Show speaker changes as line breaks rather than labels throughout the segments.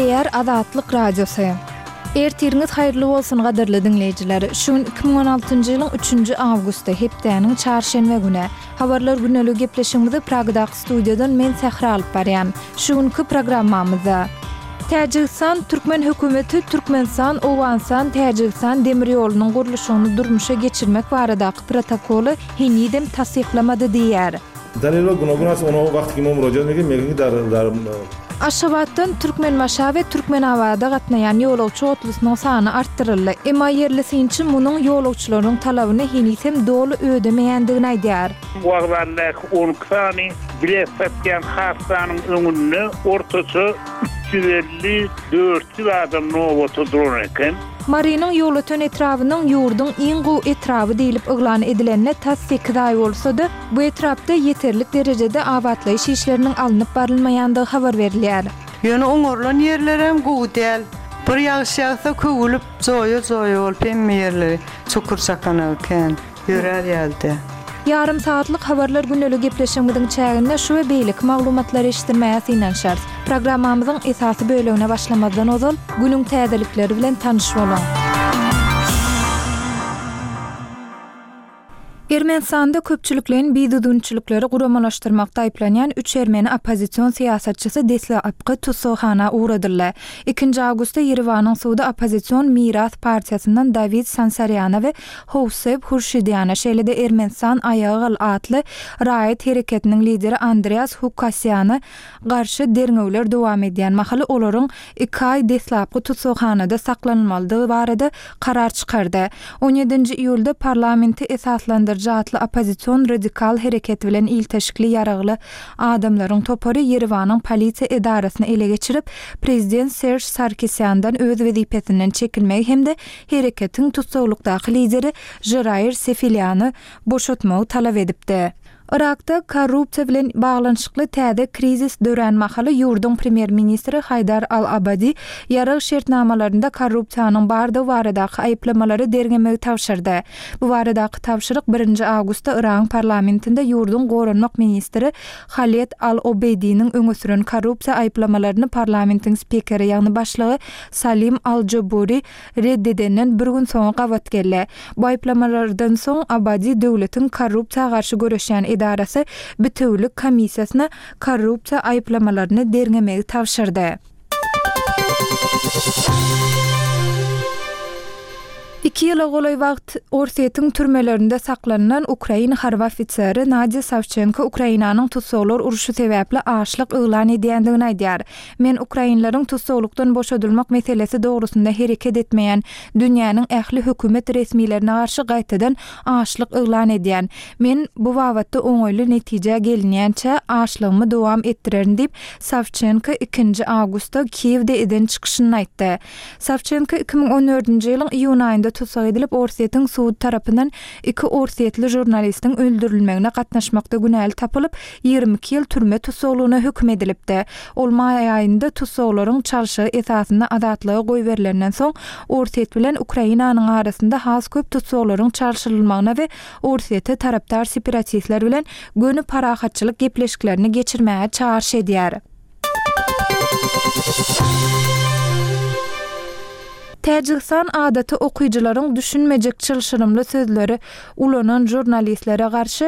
Gepleýär Azatlyk Radiosy. Ertiriňiz haýyrly bolsun gadyrly diňleýjiler. Şu gün 2016-njy ýylyň üçünji awgusty, hepdäniň çarşenbe güni. Habarlar güneligi gepleşigimizi Pragadaky studiýadan men Sähra alyp barýan. Şu günki programmamyzda. Täjigistan Türkmen hökümeti Türkmenistan, Owganystan, Täjigistan demir ýolunyň gurluşygyny durmuşa geçirmek baradaky protokoly henizem tassyklamady diýýär.
Dalilwa gunogun ast ono wagty ki mo murojat meknim megin ki dar dar.
Aşgabatdan Türkmenbaşa we Türkmenabada gatnaýan ýolagçy otlusynyň sany artdyryldy. Emma ýerli synçy munuň ýolagçylaryň talabyny heniz hem doly ödemeýändigini aýdýar.
Wokzaldaky 12 sany bilet satýan kassanyň öňünde ortaça 350, 400 adam nobata duran eken.
Marynyň Ýolöten etrabynyň ýurduň iň gowy etraby diýlip yglan edilenine tas sekiz aý bolsa-da, bu etrapda ýeterlik derejede abatlaýyş işleriniň alnyp barylmaýandygy habar berilýär.
Ýöne oňarylan ýerlerem gowy däl. Bir ýagyş ýagsa köwülip, joýa-joýa bolup hemme ýerleri çukur-çakanagy kän. Ýörär ýaly däl.
Ýarym sagatlyk Habarlar gündeli gepleşigimiziň çäginde şu we beýleki maglumatlary eşitdirmäge synanyşarys. Programmamyzyň esasy bölegine başlamazdan ozal, günüň täzelikleri bilen tanyş boluň. Ermenistanda köpçülikleýin bidüzgünçilikleri guramalaşdyrmakda aýyplanýan üç ermeni oppozision syýasatçysy deslapky tussaghana ugradyldy. Ikinji awgustda Ýerewanyň sudy oppozision Miras partiýasyndan Dawid Sansarýana we Howsep Hurşidýana, şeýle-de Ermenistan aýaga gal atly raýat hereketiniň lideri Andreas Hukasýana garşy derňewler dowam edýän mahaly olaryň iki aý deslapky tussaghanada saklanylmalydygy barada karar çykardy. On ýedinji iýulda Parlamenti esaslandyryjy atly oppozision radikal hereket bilen ilteşikli ýaragly adamlaryň topary Ýerewanyň polisiýa edarasyny ele geçirip, prezident Serž Sarkisýandan öz wezipesinden çekilmegi hem-de hereketiň tussaglykdaky lideri Žiraýr Sefilýany boşatmagy talap edipdi. Yrakda korrupsiýa bilen baglanyşykly täze krizis dörän mahaly ýurduň premýer-ministri Haýdar al-Abadi ýarag şertnamalarynda korrupsiýanyň bardygy baradaky aýyplamalary derňemegi tabşyrdy. Bu baradaky tabşyryk birinji awgustda Yragyň parlamentinde ýurduň goranmak ministri Haled al-Obeýdiniň öňe süren korrupsiýa aýyplamalaryny parlamentiň spikeri, ýagny başlygy Salim al-Joburi red edenden bir gün soňa gabat geldi. Bu aýyplamalardan soň Abadi döwletiň korrupsiýa garşy göreşýän edarasy Bitewülik komissiýasyna korrupsiýa aýyplamalaryny derňemegi tabşyrdy. Iki ýyla golaý wagt Orsýetiň türmelerinde saklanylan ukrain harby ofiseri Nadýa Sawçenko Ukrainanyň tussaglar urşy sebäpli açlyk yglan edýändigini aýdýar. Men ukrainleriň tussaglykdan boşadylmak meselesi dogrusynda hereket etmeýän dünýäniň ähli hökümet resmilerine garşy gaýtadan açlyk yglan edýän. Men bu babatda oňaýly netijä gelinýänçä açlygymy dowam etdirerin diýip, Sawçenko ikinji awgustda Kiýewde eden çykyşynda aýtdy. Sawçenko 2014-nji ýylyň iýun aýynda tussag edilip, Orsýetiň sudy tarapyndan iki orsýetli žurnalistiň öldürilmegine gatnaşmakda günäli tapylyp, 22 ýyl türme tussaglygyna höküm edilipdi. Ol maý aýynda tussaglaryň çalşygy esasynda azatlyga goýberilenden soň, Orsýet bilen Ukrainanyň arasynda has köp tussaglaryň çalşyrylmagyna we Orsýete tarapdar separatistler bilen göni parahatçylyk gepleşiklerini geçirmäge çagyryş edýär. Täjigistan adaty okyjylaryň düşünmejek çylşyrymly sözleri ulanan žurnalistlere garşy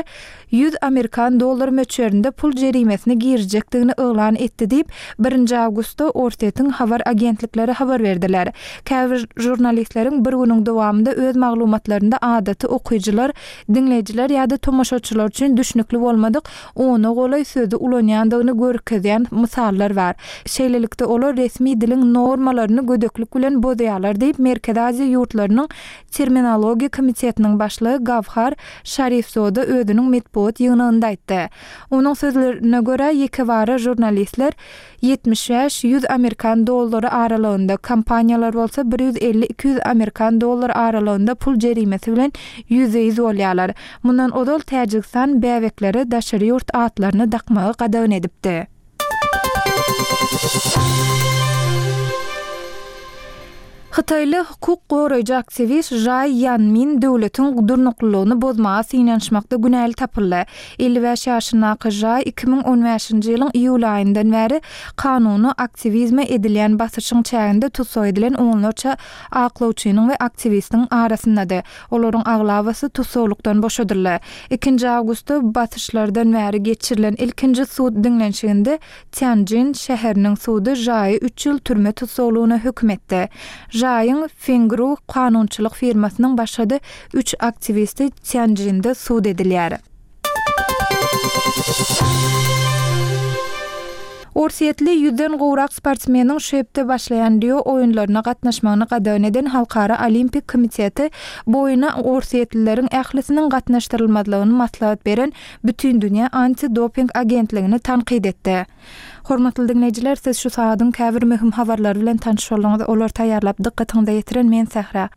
100 amerikan dollar möçberinde pul jerimesini girizjekdigini yglan etdi diýip, birinji awgustda Orsýetiň habar agentlikleri habar berdiler. Käbir žurnalistleriň bir günüň dowamynda öz maglumatlarynda adaty okyjylar, diňleýjiler ýa-da tomaşaçylar üçin düşnükli bolmadyk ona golaý sözi ulanýandygyny görkezýän mysallar bar. Şeýlelikde, olar resmi diliň normalaryny gödeklik bilen bozýarlar diýip, Merkezi Aziýa ýurtlarynyň Terminologiýa komitetiniň başlygy Gawhar Şarifzoda özüniň metbugat ýygnagynda aýtdy. Onuň sözlerine görä, ýekebara žurnalistler 75, 100 amerikan dollary aralygynda, kompaniýalar bolsa 150, 200 amerikan dollary aralygynda pul jerimesi bilen ýüzbe-ýüz bolýarlar. Mundan ozal Täjigistan bäbeklere daşary ýurt atlaryny dakmagy gadagan edipdi. Hytaýly hukuk goraýjy aktiwist Žaý Ýanmin döwletiň durnuklylygyny bozmaga synanyşmakda günäli tapyldy. 55 ýaşyndaky Žaý 2015-nji ýylyň iýul aýyndan bäri kanuny aktiwizme edilýän basyşyň çäginde tussag edilen onlarça aklawçynyň we aktiwistiň arasyndady. Olaryň aglabasy tussaglykdan boşadyldy. Ikinji awgustda basyşlardan bäri geçirilen ilkinji sud diňlenişiginde Týanjin şäheriniň sudy Žaýy üç ýyl türme tussaglygyna höküm etdi. Žaýyň Fengru kanunçylyk firmasynyň başga-da üç aktiwisti Týanjinde sud edilýär. Orsýetli ýüzden gowrak sportsmeniň şu hepde başlaýan Rio oýunlaryna gatnaşmagyny gadagan eden Halkara Olimpik komiteti bu oýuna orsýetlileriň ählisiniň gatnaşdyrylmazlygyny maslahat beren Bütindünýä antidoping agentligini tankyt etdi. Hormatly diňleýjiler, siz şu sagadyň käbir möhüm habarlary bilen tanyş bolduňyz. Olary taýýarlap dykgatyňyza ýetiren men Sähra.